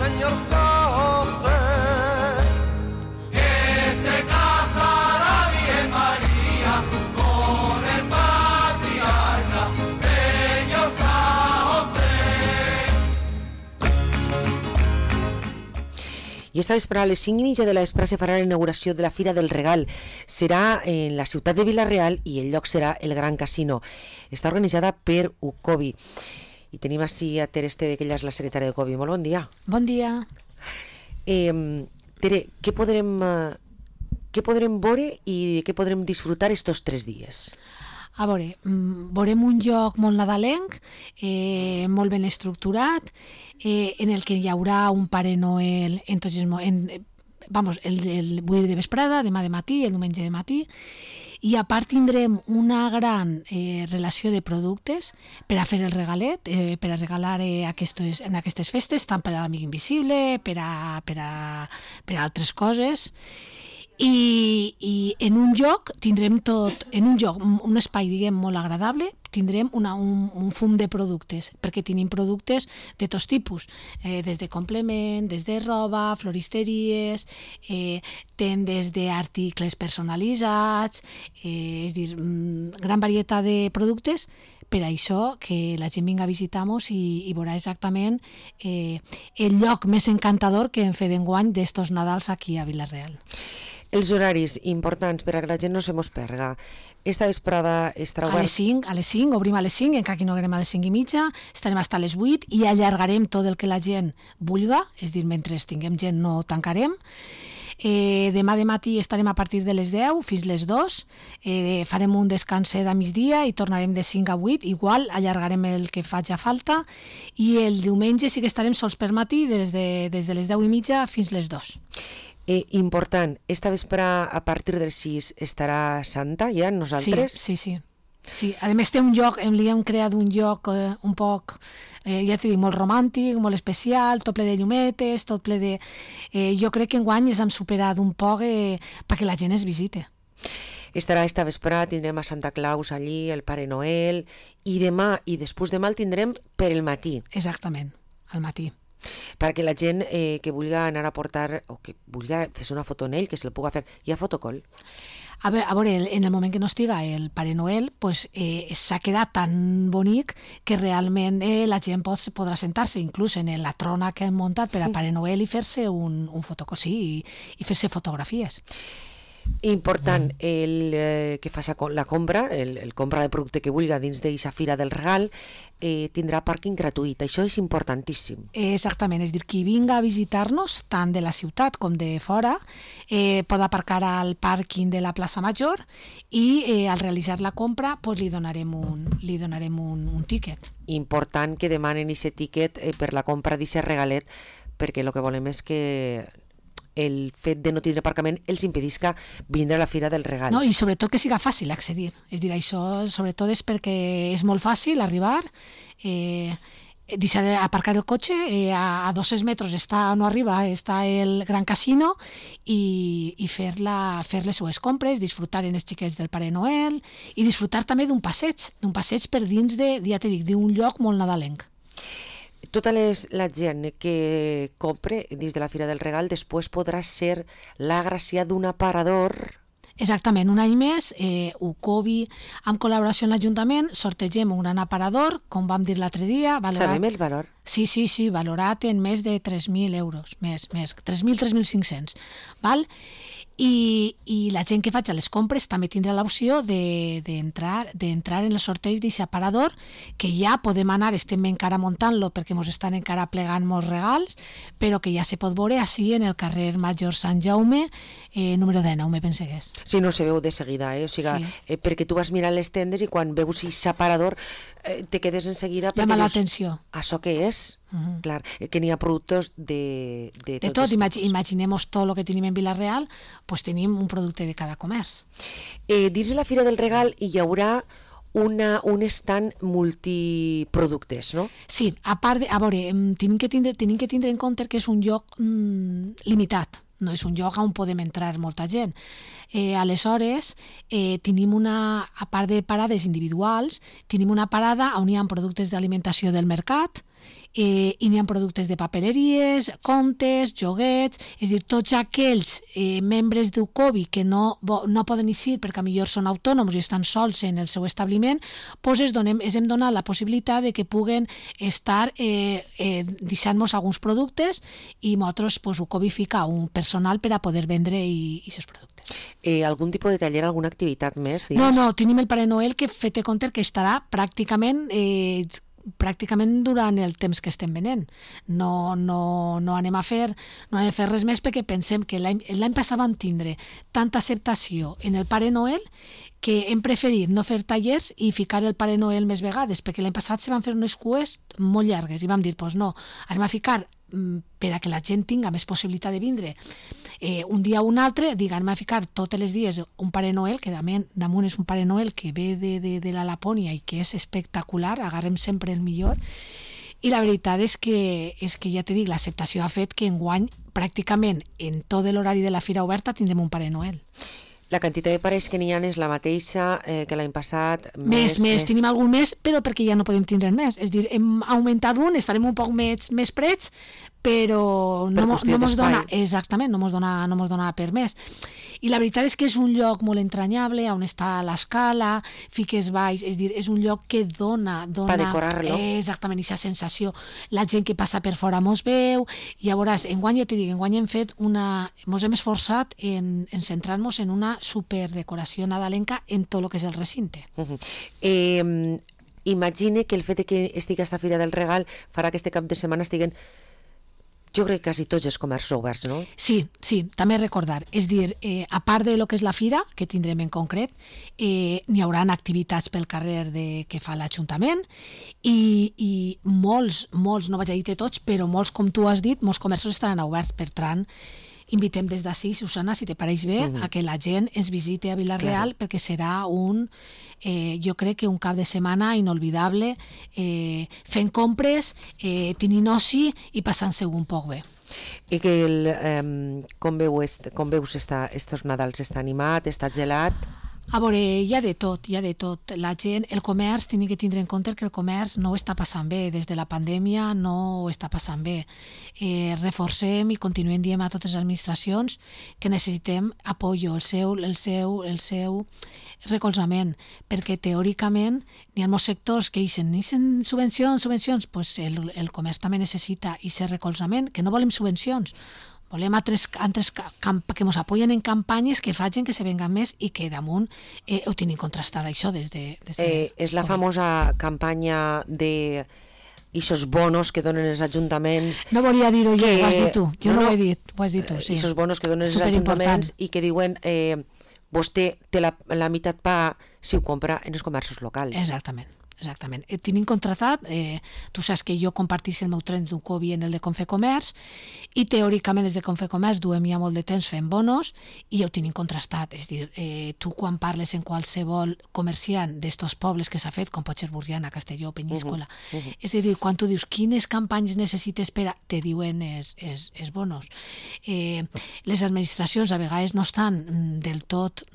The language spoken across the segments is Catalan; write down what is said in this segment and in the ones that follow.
Señor José, que se casa la Virgen María con el patriarca, Señor San José. I esta vesprada a les 5:30 de la vesprada se farà la inauguració de la Fira del Regal. Serà en la ciutat de Vila-real i el lloc serà el Gran Casino. Està organitzada per UCOBI. I tenim així a Tere Esteve, que ella és la secretària de UCOBI. Molt bon dia. Bon dia. Tere, què podrem veure i què podrem disfrutar estos 3 dies? A veure, veurem un lloc molt nadalenc, molt ben estructurat, en el que hi haurà un Pare Noel el 8 de vesprada, demà de matí, el diumenge de matí, i a part tindrem una gran relació de productes per a fer el regalet, per a regalar en aquestes festes, tant per a l'Amic Invisible, per a altres coses. I en un lloc tindrem un espai, diguem, molt agradable, tindrem un fum de productes, perquè tenim productes de tots tipus, des de complement, des de roba, floristeries, tendes d'articles personalitzats, és a dir, gran varietat de productes. Per això que la gent vinga a visitar-nos i veurà exactament el lloc més encantador que hem fet d'enguany d'estos Nadals aquí a Vila-real. Els horaris importants per a que la gent no se mos perga. Esta vesprada estarà obert... A les 5, obrim a les 5, encara que no anem a les 5:30, estarem fins a les 8 i allargarem tot el que la gent vulga, és a dir, mentre tinguem gent no tancarem. Demà de matí estarem a partir de les 10 fins les 2, farem un descanset a migdia i tornarem de 5 a 8, igual allargarem el que faci falta, i el diumenge sí que estarem sols per matí des de les 10:30 fins les 2. Important, esta vesprada a partir del 6 estarà Santa ja, nosaltres? Sí. A més té un lloc, li hem creat un lloc un poc, ja t'he dit, molt romàntic, molt especial, tot ple de llumetes, tot ple de... Jo crec que enguany ens hem superat un poc perquè la gent es visite. Estarà esta vesprada, tindrem a Santa Claus allí, el Pare Noel, i demà i després demà el tindrem per el matí. Exactament, al matí. Perquè la gent que vulgui anar a portar o que vulgui fer una foto en ell, que se la pugui fer, hi ha fotocol? A veure, en el moment que no estiga el Pare Noel, pues, s'ha quedat tan bonic que realment la gent podrà sentar-se, inclús en la trona que hem muntat per a Pare Noel i fer-se un fotocol, sí, i fer-se fotografies. Important, el que faci la compra, el compra de producte que vulgui dins d'aquesta Fira del Regal, tindrà pàrquing gratuït. Això és importantíssim. Exactament, és a dir, qui vinga a visitar-nos, tant de la ciutat com de fora, pot aparcar al pàrquing de la plaça Major i al realitzar la compra pues, li donarem un tíquet. Important que demanen aquest tíquet per la compra d'aquest regalet, perquè el que volem és que el fet de no tindre aparcament els impedisca vindre a la Fira del Regal. No, i sobretot que siga fàcil accedir. És dir, això sobretot és perquè és molt fàcil arribar, deixar aparcar el cotxe, a 200 metres no arriba, està el Gran Casino i fer les seues compres, disfrutar en els xiquets del Pare Noel i disfrutar també d'un passeig per dins ja t'he dit, d'un lloc molt nadalenc. Tota la gent que compre dins de la Fira del Regal després podrà ser l'agraciat d'un aparador. Exactament, un any més, UCOBI, amb col·laboració amb l'Ajuntament, sortegem un gran aparador, com vam dir l'altre dia. Sabem el valor? Sí, valorat en més de 3.000 euros, més 3.500, val? I la gent que faci les compres també tindrà l'opció d'entrar en el sorteig d'aquest aparador, que ja podem anar, estem encara muntant-lo perquè ens estan encara plegant molts regals, però que ja se pot veure així en el carrer Major Sant Jaume, número 19, me pense que és. Sí, no se veu de seguida, o sigui, sí. Perquè tu vas mirant les tendes i quan veus aquest aparador te quedes en seguida perquè llama l'atenció. Això què és? Clar, que n'hi ha productes de tot. Imaginem-nos tot el que tenim en Vila-real, doncs tenim un producte de cada comerç. Dins de la Fira del Regal hi haurà un stand multiproductes, no? Sí, a veure, tenim que tindre en compte que és un lloc limitat, no és un lloc on podem entrar molta gent. Aleshores, tenim a part de parades individuals, tenim una parada on hi ha productes d'alimentació del mercat, i n'hi ha productes de papeleries, comptes, joguets, és a dir, tots aquells membres d'UCOBI que no poden eixir perquè millor són autònoms i estan sols en el seu establiment, doncs els hem donat la possibilitat de que puguen estar deixant-nos alguns productes i nosaltres UCOBI fica un personal per a poder vendre aquests productes. Algun tipus de taller, alguna activitat més? No, tenim el Pare Noel que fet compte que estarà pràcticament durant el temps que estem venent. No anem a fer res més perquè pensem que l'any passat vam tindre tanta acceptació en el Pare Noel que hem preferit no fer tallers i ficar el Pare Noel més vegades, perquè l'any passat se van fer unes cues molt llargues i vam dir, doncs no, anem a ficar per a que la gent tinga més possibilitat de vindre un dia o un altre, anem a ficar tots els dies un Pare Noel, que damunt és un Pare Noel que ve de la Lapònia i que és espectacular, agarrem sempre el millor, i la veritat és que ja te dic, l'acceptació ha fet que enguany pràcticament en tot l'horari de la fira oberta tindrem un Pare Noel. La quantitat de parells que n'hi ha és la mateixa que l'any passat? Més. Tenim algun més, però perquè ja no podem tindre més. És a dir, hem augmentat un, estarem un poc més prets, però no mos dona, exactament, no mos dona per més. I la veritat és que és un lloc molt entranyable, on està l'escala, fiques baix, és dir, és un lloc que dona... Per decorar-lo. Exactament, aquesta sensació. La gent que passa per fora mos veu, i llavors, enguany hem fet mos hem esforçat en centrar-nos en una superdecoració nadalenca en tot el que és el recinte. Imagine que el fet que estigui aquesta Fira del Regal farà que este cap de setmana estiguen, jo crec, quasi tots els comerços oberts, no? Sí, també recordar. És dir, a part de lo que és la fira, que tindrem en concret, n'hi haurà activitats pel carrer que fa l'Ajuntament i molts, no vaig a dir tots, però molts, com tu has dit, molts comerços estaran oberts. Per tant, invitem des d'ací, Susana, si te pareix bé, a que la gent ens visiti a Vila-real, perquè serà jo crec que un cap de setmana inolvidable, fent compres, tenint oci i passant-se un poc bé. I que com veus estos Nadals? Està animat? Està gelat? A veure, hi ha de tot. La gent, el comerç, tenim que tindre en compte que el comerç no ho està passant bé. Des de la pandèmia no ho està passant bé. Reforcem i continuem dient a totes les administracions que necessitem apoyo, el seu recolzament, perquè teòricament n'hi ha molts sectors que necessiten subvencions, pues el comerç també necessita aquest recolzament, que no volem subvencions, volem altres que ens apoyen en campanyes que facin que se venguen més i que damunt ho tenim contrastat això des de... És la famosa campanya de aquests bonos que donen els ajuntaments... No volia dir-ho jo, ho has dit tu. Jo no ho he dit, ho has dit tu, sí. Aquests bonos que donen els ajuntaments i que diuen vostè té la meitat paga si ho compra en els comerços locals. Exactament. Tenim contratat, tu saps que jo compartisc el meu tren d'UCOBI en el de Confecomerç i teòricament des de Confecomerç duem ja molt de temps fent bonos i ja ho tenim contrastat. És dir, tu quan parles en qualsevol comerciant d'estos pobles que s'ha fet, com pot ser Burriana, Castelló, Penyíscola, és a dir, quan tu dius quines campanyes necessites per a... te diuen els bonos. Les administracions a vegades no estan del tot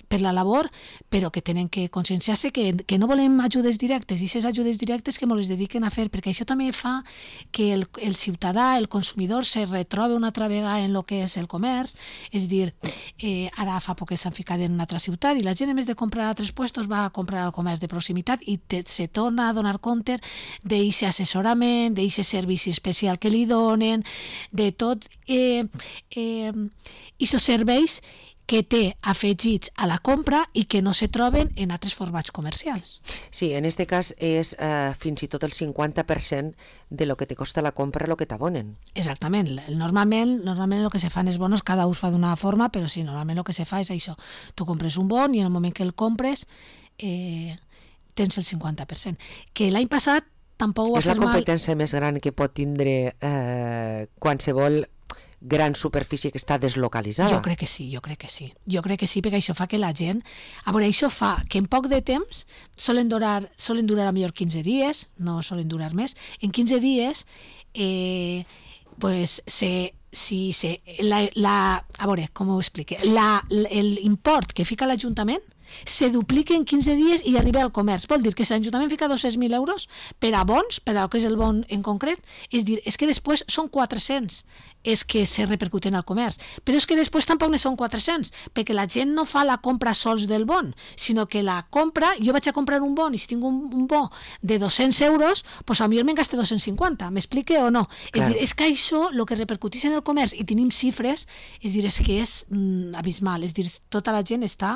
per la labor, però que tenen que conscienciar-se que no volem ajudes directes, i aquestes ajudes directes que ens les dediquen a fer, perquè això també fa que el ciutadà, el consumidor, se retrobe una altra vegada en el que és el comerç. És dir, ara fa poc que s'han ficat en una altra ciutat i la gent, a més de comprar a altres puestos, va a comprar al comerç de proximitat i se torna a donar compte d'aquest assessorament, d'aquest servici especial que li donen, de tot aquests serveis que té afegits a la compra i que no se troben en altres formats comercials. Sí, en aquest cas és fins i tot el 50% de lo que te costa la compra lo que t'abonen. Exactament. Normalment el que se fan els bonos, cada ús fa d'una forma, però sí, normalment el que se fa és això. Tu compres un bon i en el moment que el compres tens el 50%. Que l'any passat tampoc ho ha fet mal. És la competència més gran que pot tindre qualsevol gran superfície que està deslocalitzada. Jo crec que sí. Jo crec que sí, perquè això fa que la gent... A veure, això fa que en poc de temps solen durar a millor 15 dies, no solen durar més. En 15 dies, pues, a veure, com ho explique? L'import que fica l'Ajuntament se duplica en 15 dies i arriba al comerç. Vol dir que si l'Ajuntament fica 200.000 euros per a bons, per al que és el bon en concret, és dir, és que després són 400 és que se repercuten al comerç. Però és que després tampoc ne són 400, perquè la gent no fa la compra sols del bon, sinó que la compra, jo vaig a comprar un bon i si tinc un bo de 200 euros, doncs potser me'n gaste 250, m'explique o no? Clar. És dir, és que això, el que repercuteix en el comerç, i tenim xifres, és dir, és que és abismal, és dir, tota la gent està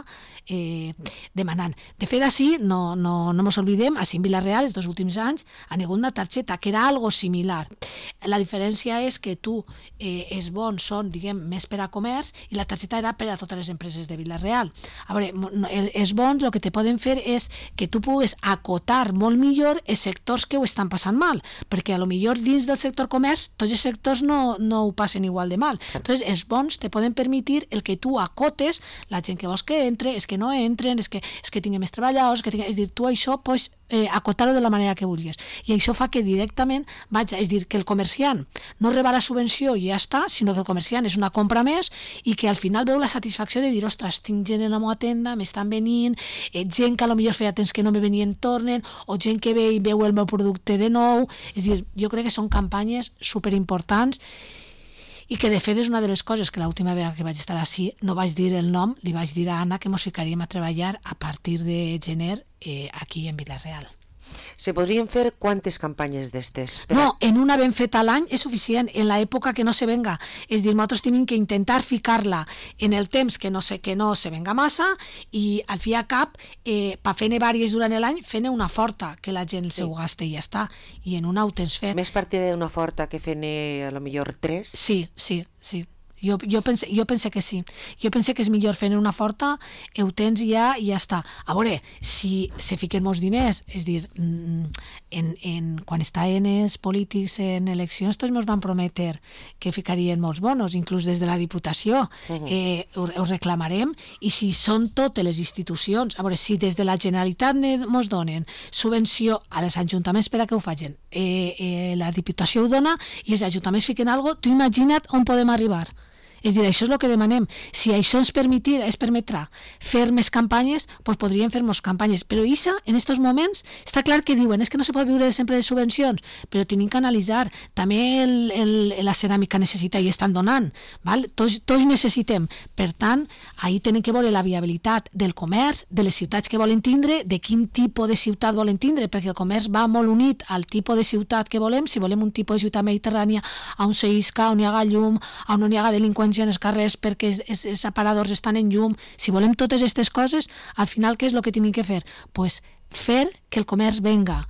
demanant. De fet, així, no mos oblidem, així en Vila-real, els 2 últims anys, ha negut una targeta, que era algo similar. La diferència és que tu els bons són, diguem, més per a comerç i la targeta era per a totes les empreses de Vila-real. A veure, els bons el que te poden fer és que tu pugues acotar molt millor els sectors que ho estan passant mal, perquè a lo millor dins del sector comerç tots els sectors no ho passen igual de mal. Entonces, els bons te poden permetre el que tu acotes la gent que vols que entre, és que no entren, és que tinguin més treballadors, és dir, tu això pots acotar-ho de la manera que vulguis. I això fa que directament, és dir, que el comerciant no reba la subvenció i ja està, sinó que el comerciant és una compra més i que al final veu la satisfacció de dir, ostres, tinc gent en la meva tenda, m'estan venint, gent que a lo millor feia temps que no me venien tornen, o gent que ve i veu el meu producte de nou. És dir, jo crec que són campanyes superimportants i que de fet és una de les coses que l'última vegada que vaig estar així no vaig dir el nom, li vaig dir a Anna que mos ficaríem a treballar a partir de gener aquí en Vila-real. Se podrien fer quantes campanyes d'estes? No, en una ben feta a l'any és suficient, en l'època que no se venga. És dir, nosaltres tenim que intentar ficar-la en el temps que no se venga massa i al fi a cap, per fer-ne vàries durant l'any, fer-ne una forta, que la gent se ho gasta i ja està. I en una ho tens fet. Més partida d'una forta que fer-ne a lo millor 3? Sí. Jo pense que sí. Jo pense que és millor fer una forta, ho tens ja i ja està. A veure, si se fiquen molts diners, és dir, quan estaven els polítics en eleccions, tots ens van prometre que ficarien molts bonos, inclús des de la Diputació. Ho reclamarem, i si són totes les institucions, a veure, si des de la Generalitat ens donen subvenció a els ajuntaments per a que ho facin, la Diputació ho dona i els ajuntaments fiquen alguna cosa, tu imagina't on podem arribar. És dir, això és el que demanem. Si això ens permetrà fer més campanyes, doncs podríem fer més campanyes. Però això, en aquests moments, està clar que diuen és que no se pot viure sempre de subvencions, però tenim que analitzar. També la ceràmica necessita i estan donant. Val? Tots necessitem. Per tant, ahir tenen que veure la viabilitat del comerç, de les ciutats que volen tindre, de quin tipus de ciutat volen tindre, perquè el comerç va molt unit al tipus de ciutat que volem. Si volem un tipus de ciutat mediterrània, on se isca, on hi haga llum, on no hi haga delinqüència en els carrers perquè els aparadors estan en llum. Si volem totes aquestes coses, al final què és el que tenim que fer? Pues fer que el comerç venga.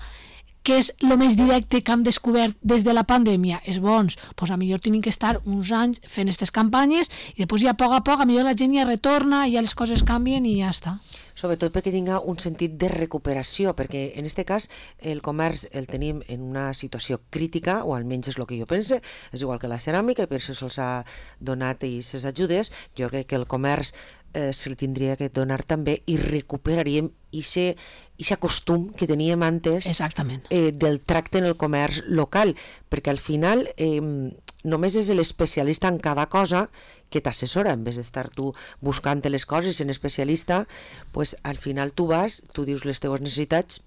Què és el més directe que hem descobert des de la pandèmia? És bons. Pues a millor tenim que estar uns anys fent aquestes campanyes i després ja a poc, a millor la gent ja retorna, ja les coses canvien i ja està. Sobretot perquè tinga un sentit de recuperació, perquè en aquest cas el comerç el tenim en una situació crítica, o almenys és el que jo pense, és igual que la ceràmica, i per això se'ls ha donat aquestes ajudes. Jo crec que el comerç se li tindria que donar també i recuperaríem aquest costum que teníem antes del tracte en el comerç local, perquè al final només és l'especialista en cada cosa que t'assessora, en vez d'estar tu buscant les coses en especialista, pues al final tu vas, tu dius les teves necessitats.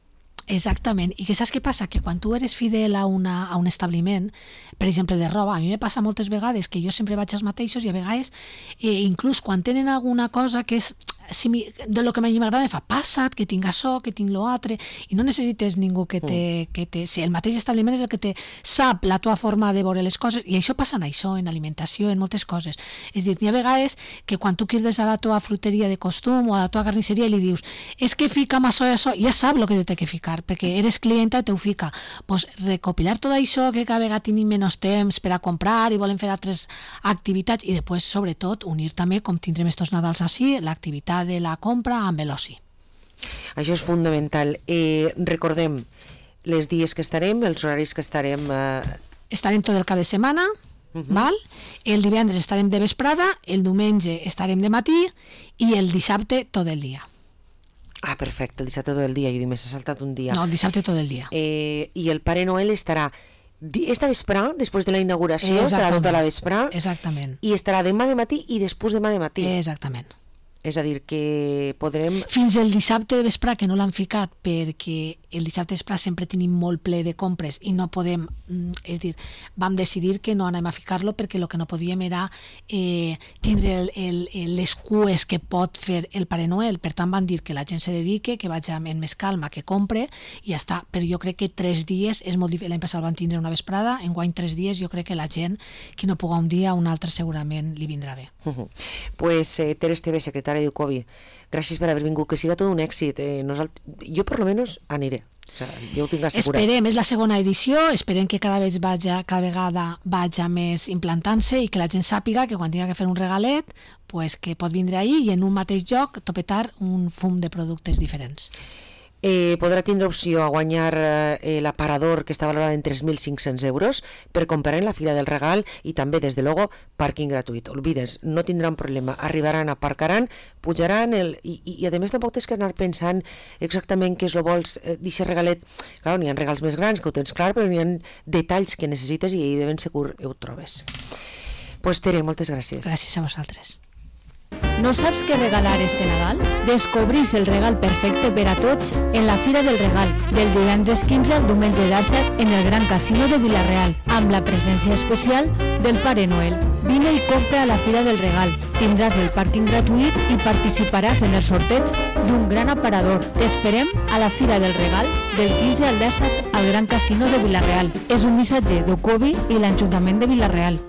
Exactament, i que saps què passa? Que quan tu eres fidel a un establiment, per exemple de roba, a mi me passa moltes vegades que jo sempre vaig als mateixos i a vegades inclús quan tenen alguna cosa que és de lo que a mi m'agrada, fa passa't, que tinc això, que tinc l'altre, i no necessites ningú que te... Si el mateix establiment és el que te sap la tua forma de veure les coses, i això passa en això, en alimentació, en moltes coses. És dir, n'hi ha vegades que quan tu crides a la tua fruteria de costum o a la tua carnisseria i li dius és que fica'm això i això, ja sap el que té que ficar, perquè eres clienta i te ho fica. Pues recopilar tot això, que cada vegada tenim menys temps per a comprar i volen fer altres activitats, i després, sobretot, unir també, com tindrem estos Nadals així, l'activitat de la compra amb l'oci. Això és fundamental. Recordem les dies que estarem, els horaris que estarem... Estarem tot el cap de setmana, val? El divendres estarem de vesprada, el diumenge estarem de matí i el dissabte tot el dia. Ah, perfecte, el dissabte tot el dia. Jo dic, m'he saltat un dia. No, el dissabte tot el dia. I el Pare Noel estarà esta vesprà, després de la inauguració, estarà tota la vesprà. Exactament. I estarà demà de matí i després demà de matí. Exactament. És a dir, que podrem... Fins el dissabte de vesprà, que no l'han ficat, perquè el dissabte de vesprà sempre tenim molt ple de compres i no podem, és dir, vam decidir que no anem a ficar-lo perquè el que no podíem era tindre les cues que pot fer el Pare Noel. Per tant, van dir que la gent se dedique, que vagi amb més calma, que compre, i ja està. Però jo crec que 3 dies és molt difícil. L'any passat van tindre una vesprada, enguany 3 dies, jo crec que la gent, qui no puga un dia, un altre segurament li vindrà bé. Pues Ter Esteve, secretària d'Ucovi, gràcies per haver vingut, que siga tot un èxit. Jo per lo menos aniré, o sigui, jo ho tinc assegurat. Esperem, és la segona edició, esperem que cada vegada vaja més implantant-se i que la gent sàpiga que quan tinga que fer un regalet, pues que pot vindre ahí i en un mateix lloc topetar un fum de productes diferents. Podrà tindre opció a guanyar l'aparador, que està valorat en 3.500 euros, per comprar en la Fira del Regal, i també, des de luego, pàrquing gratuït. Olvides, no tindran problema, arribaran, aparcaran, pujaran, i a més tampoc tens que anar pensant exactament què és el vols d'aquest regalet. Clar, n'hi ha regals més grans, que ho tens clar, però n'hi ha detalls que necessites i de ben segur ho trobes. Pues Tere, moltes gràcies. Gràcies a vosaltres. ¿No saps què regalar este Nadal? Descobrís el regal perfecte per a tots en la Fira del Regal, del divendres 15 al diumenge 17 en el Gran Casino de Vila-real, amb la presència especial del Pare Noel. Vine i compra a la Fira del Regal. Tindràs el pàrquing gratuït i participaràs en el sorteig d'un gran aparador. T'esperem a la Fira del Regal del 15 al 17 al Gran Casino de Vila-real. És un missatge d'Ucovi i l'Ajuntament de Vila-real.